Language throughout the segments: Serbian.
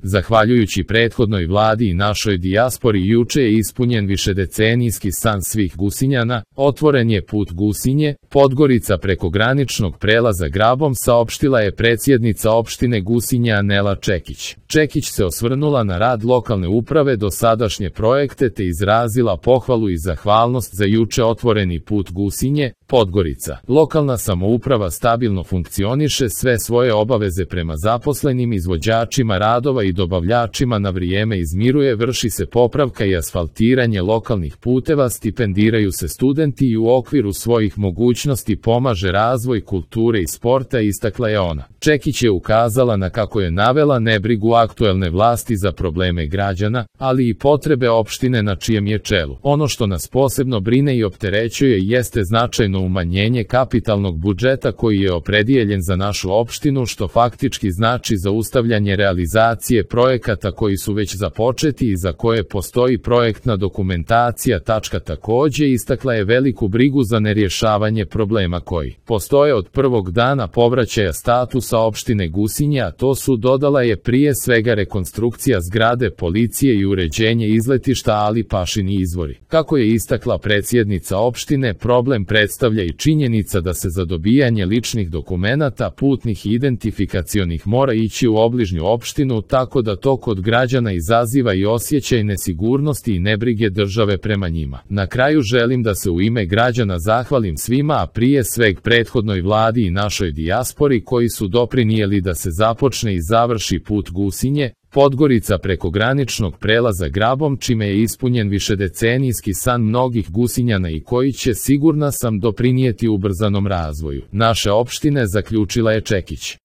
Zahvaljujući prethodnoj vladi i našoj dijaspori juče je ispunjen višedecenijski san svih Gusinjana, otvoren je put Gusinje, Podgorica preko graničnog prelaza Grabom, saopštila je predsjednica opštine Gusinje Anela Čekić. Čekić se osvrnula na rad lokalne uprave, dosadašnje projekte te izrazila pohvalu i zahvalnost za juče otvoreni put Gusinje, Podgorica. Lokalna samouprava stabilno funkcioniše, sve svoje obaveze prema zaposlenim, izvođačima radova i dobavljačima na vrijeme izmiruje, vrši se popravka i asfaltiranje lokalnih puteva, stipendiraju se studenti i u okviru svojih mogućnosti pomaže razvoj kulture i sporta, istakla je ona. Čekić je ukazala na, kako je navela, nebrigu aktuelne vlasti za probleme građana, ali i potrebe opštine na čijem je čelu. Ono što nas posebno brine i opterećuje jeste značajno umanjenje kapitalnog budžeta koji je opredijeljen za našu opštinu, što faktički znači zaustavljanje realizacije projekata koji su već započeti i za koje postoji projektna dokumentacija. Također istakla je veliku brigu za nerješavanje problema koji postoje od prvog dana povraćaja statusa opštine Gusinje, a to su, dodala je, prije svega rekonstrukcija zgrade policije i uređenje izletišta Ali Pašini izvori. Kako je istakla predsjednica opštine, problem predstavlja i činjenica da se za dobijanje ličnih dokumenata putnih i identifikacionih mora ići u obližnju opštinu, tako da to kod građana izaziva i osjećaj nesigurnosti i nebrige države prema njima. Na kraju želim da se u ime građana zahvalim svima, a prije sveg prethodnoj vladi i našoj dijaspori koji su doprinijeli da se započne i završi put Gusinje, Podgorica preko graničnog prelaza Grabom, čime je ispunjen višedecenijski san mnogih Gusinjana i koji će, sigurna sam, doprinijeti ubrzanom razvoju naše opštine, zaključila je Čekić.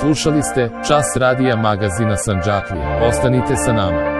Slušali ste Čas radija magazina Sandžaklija. Ostanite sa nama.